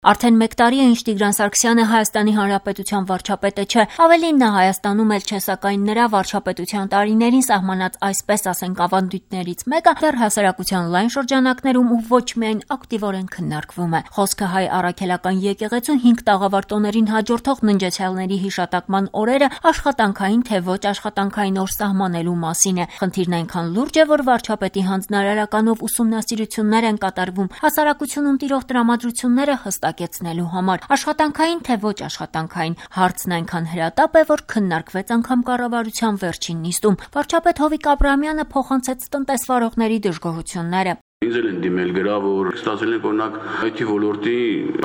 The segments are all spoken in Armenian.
Արդեն մեկ տարի է, ինչ Տիգրան Սարգսյանը Հայաստանի Հանրապետության վարչապետը չէ, ավելին նա Հայաստանում էլ չէ, սակայն նրա վարչապետության տարիներին սահմանած այսպես ասենք ավանդույթներից մեկը դեռ հասարակության լայն շրջանակներում ու ոչ միայն ակտիվորեն քննարկվում է։ Խոսքը հայ առաքելական եկեղեցու 5 տաղավարտոներին հաջորդող ննջեցյալների հիշատակման օրերը աշխատանքային թե ոչ աշխատանքային օր սահմանելու մասին է։ Խնդիրն այնքան լուրջ է, որ վարչապետի հանձնարարականով ուսումնասիրություններ են կատարվում, հասարակությունում տիրող տրամադրությունները հստակեցնելու համար, աշխատանքային թե ոչ աշխատանքային, հարցն այնքան հրատապ է, որ քննարկվեց անգամ կառավարության վերջին նիստում։ Վարչապետ Հովիկ Աբրահամյանը փոխանցեց տնտեսվարողների դժգոհությունները։ Ինձ էլ են դիմել գրավոր, ստացել են օրինակ IT ոլորտի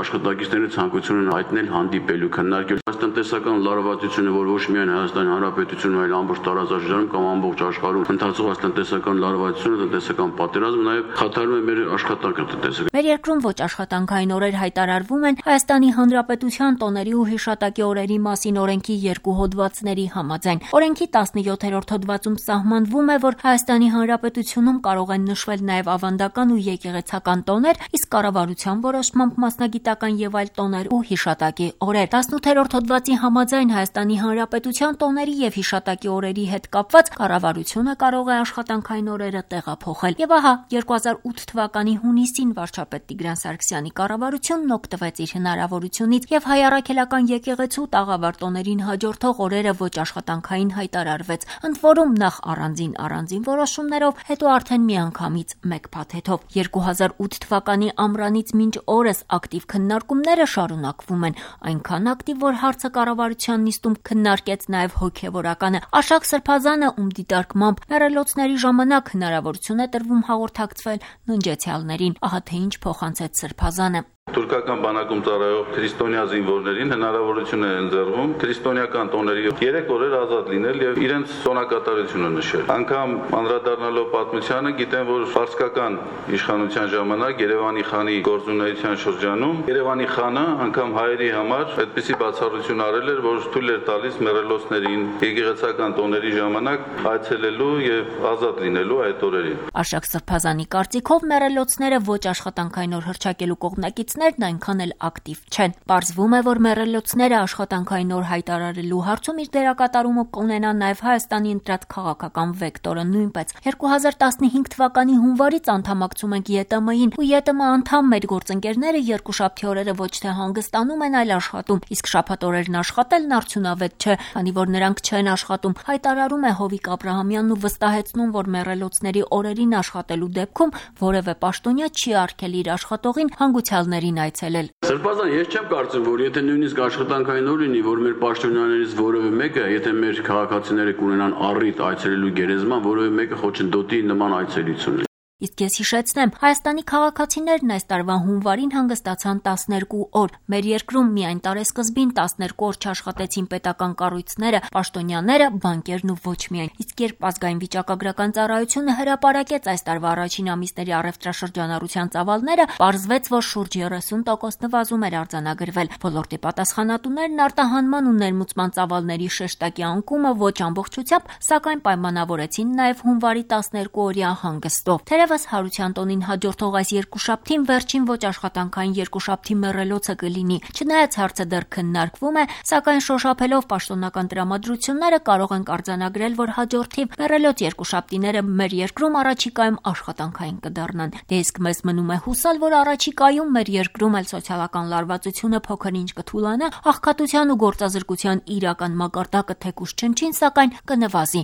աշխատակիցների ցանկություն են հայտնել հանդիպելու, քննարկել այս տնտեսական լարվածությունը, որ ոչ միայն Հայաստանի Հանրապետությունում, այլ ամբողջ տարածաշրջանում կամ ամբողջ աշխարհում ընթացող այս տնտեսական լարվածությունը, տնտեսական պատերազմը նաև խաթարում է մեր աշխատանքը տնտեսական։ Մեր երկրում ոչ աշխատանքային օրեր հայտարարվում են Հայաստանի Հանրապետության տոների ու հիշատակի օրերի մասին օրենքի 2 հոդվածների համաձայն։ Օրենքի 17-րդ հոդվածում սահմանվում է, որ Հայաստանի Հանրապետությունում կարող են նշվել նաև ավանդական ու եկեղեցական տոներ, իսկ կառավարության որոշմամբ մասնագիտական եւ այլ տոներ ու հիշատակի օրեր։ 18-րդ հոդվածի համաձայն Հայաստանի Հանրապետության տոների եւ հիշատակի օրերի հետ կապված կառավարությունը կարող է աշխատանքային օրերը տեղափոխել։ Եվ ահա 2008 թվականի հունիսին վարչապետ Տիգրան Սարգսյանի կառավարությունն օգտվեց իր հնարավորությունից եւ հայ առաքելական եկեղեցու տաղավարտոներին հաջորդող օրերը ոչ աշխատանքային հայտարարվեց, ընդ որում նախ առանձին որոշումներով, հետո արդեն միանգամից մեկ փաթեթով։ 2008 թվականի ամռանից մինչ օրս ակտիվ քննարկումները շարունակվում են, այնքան ակտիվ, որ հարցը կառավարության նիստում քննարկեց նաև հոգևորականը։ Աշակ Սրբազանը, ում դիտարկմամբ մեռելոցների ժամանակ հնարավորություն է տրվում հաղորդակցվել ննջեցյալներին, ահա թե ինչ փոխանցեց Սրբազանը։ Թուրքական բանակում ծառայող քրիստոնյա զինվորներին հնարավորություն է ընձեռվում քրիստոնեական տոների 3 օրեր ազատ լինել եւ իրենց տոնակատարությունը նշել։ Անգամ անդրադառնալով պատմությանը, գիտեմ, որ ֆարսկական իշխանության ժամանակ Երևանի խանի գործունեության շրջանում Երևանի խանը անգամ հայերի համար այդպիսի բացառություն արել էր, որ թույլ էր տալիս մեռելոցներին եկեղեցական տոների ժամանակ այցելելու եւ ազատ լինելու այդ օրերին։ Աշակ Սրբազանի կարծիքով մեռելոցները ոչ աշխատանքային օր հռչակելու կողմնակիցներն այնքան էլ ակտիվ չեն։ Պարզվում է, որ մեռելոցները աշխատանքային օր հայտարարելու հարցում իր դերակատարումը կունենա նաև Հայաստանի ընտրած քաղաքական վեկտորը նույնպես։ 2015 թվականի հունվարից անդամակցում ենք ԵՏՄ-ին, ու ԵՏՄ անդամ մեր գործընկերները երկուշաբթի օրերը ոչ թե հանգստանում են, այլ աշխատում, իսկ շաբաթ օրերն աշխատելն արդյունավետ չէ, քանի որ նրանք չեն աշխատում, հայտարարում է Հովիկ Աբրահամյանն ու վստահեցնում, որ մեռելոցների օրերին աշխատելու դեպքում որևէ պաշտոնյա չի արգել իր աշխատողին հանգուցյալներին այցելել։ Սրբազան, ես չեմ կարծում, որ եթե նույնիսկ աշխատանքային օր լինի, որ մեր պաշտոնյաներից որևէ մեկը, եթե մեր քաղաքացիները կունենան առիթ այցելելու գերեզման, որևէ մեկը խոչընդոտի նման այցելություն։ Իսկ ես հիշեցնեմ, Հայաստանի քաղաքացիներն այս տարվա հունվարին հանգստացան 12 օր։ Մեր երկրում միայն տարեսկզբին 12 օր չաշխատեցին պետական կառույցները, պաշտոնյաները, բանկերն ու ոչ միայն։ Իսկ երբ ազգային վիճակագրական ծառայությունը հրապարակեց այս տարվա առաջին ամիսների առևտրաշրջանառության ծավալները, պարզվեց, որ շուրջ 30% նվազում էր արձանագրվել։ Ոլորտի պատասխանատուներն արտահանման ու ներմուծման ծավալների շեշտակի անկումը ոչ ամբողջությամբ, սակայն պայմանավորեցին նաև հունվարի 12-օրյա հանգստով։ Թերևս Հարության տոնին հաջորդող այս երկուշաբթին վերջին ոչ աշխատանքային երկուշաբթի մեռելոցը կլինի։ Չնայած հարցը դեռ քննարկվում է, սակայն շոշափելով պաշտոնական տրամադրությունները կարող ենք արձանագրել, որ հաջորդիվ մեռելոց երկուշաբթիները մեր երկրում առաջիկայում աշխատանքային կդառնան։ Դե իսկ մեզ մնում է հուսալ, որ առաջիկայում մեր երկրում էլ սոցիալական լարվածությունը փոքր-ինչ կթուլանա, աղքատության ու գործազրկության իրական մակարդակը թեկուզ չնչին, սակայն կնվազի։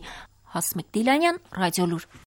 Հասմիկ Դիլանյան, Ռադիոլուր։